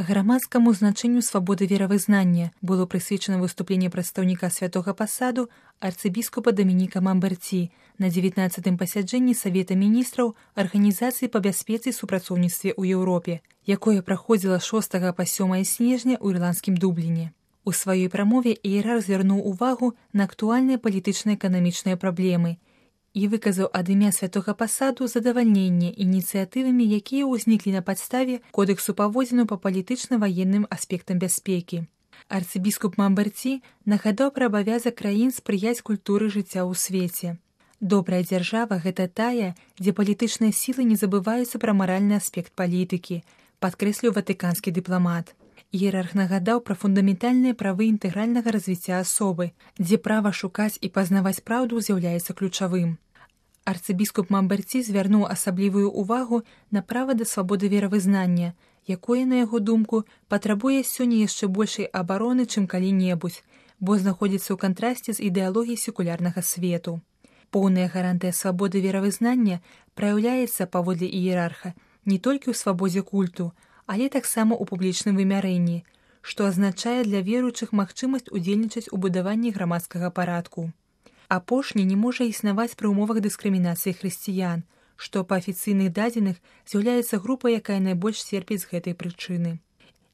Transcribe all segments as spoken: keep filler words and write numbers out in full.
Грамадскаму значэнню свабоды веравызнання было прысвечана выступленне прадстаўніка святога пасаду арцыбіскупа Дамініка Мамберці на дзевятнаццатым пасяджэнні Савета міністраў Арганізацыі па бяспецы і супрацоўніцтве ў Еўропе, якое праходзіла шостага па сёмае снежня ў ірландскім Дубліне. У сваёй прамове іерарх звярнуў увагу на актуальныя палітычна-эканамічныя праблемы і выказаў ад імя святога пасаду задавальненне ініцыятывамі, якія ўзніклі на падставе кодэксу паводзінаў па палітычна-ваенным аспектам бяспекі. Арцыбіскуп Мамберці нагадаў пра абавязак краін спрыяць культуры жыцця ў свеце. Добрая дзяржава – гэта тая, дзе палітычныя сілы не забываюцца пра маральны аспект палітыкі, падкрэсліў ватыканскі дыпламат. Іерарх нагадаў пра фундаментальныя правы інтэгральнага развіцця асобы, дзе права шукаць і пазнаваць праўду з'яўляецца ключавым. Арцыбіскуп Мамберці звярнуў асаблівую ўвагу на права да свабоды веравызнання, якое, на яго думку, патрабуе сёння яшчэ большай абароны, чым калі-небудзь, бо знаходзіцца ў кантрасце з ідэалогіяй секулярнага свету. Поўная гарантыя свабоды веравызнання праяўляецца, паводле іерарха, не толькі ў свабодзе культу, але таксама ў публічным вымярэнні, што азначае для веруючых магчымасць удзельнічаць у будаванні грамадскага парадку. Апошні не можа існаваць пры ўмовах дыскрымінацыі хрысціян, што па афіцыйных дадзеных з'яўляецца групай, якая найбольш церпіць з гэтай прычыны.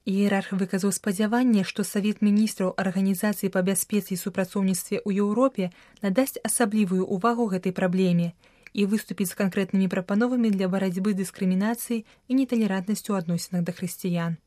Іерарх выказаў спадзяванне, што Савет міністраў Арганізацыі па бяспецы і супрацоўніцтве ў Еўропе надасць асаблівую ўвагу гэтай праблеме і выступіць з канкрэтнымі прапановамі для барацьбы з дыскрымінацыяй і неталерантнасцю ў адносінах да хрысціян.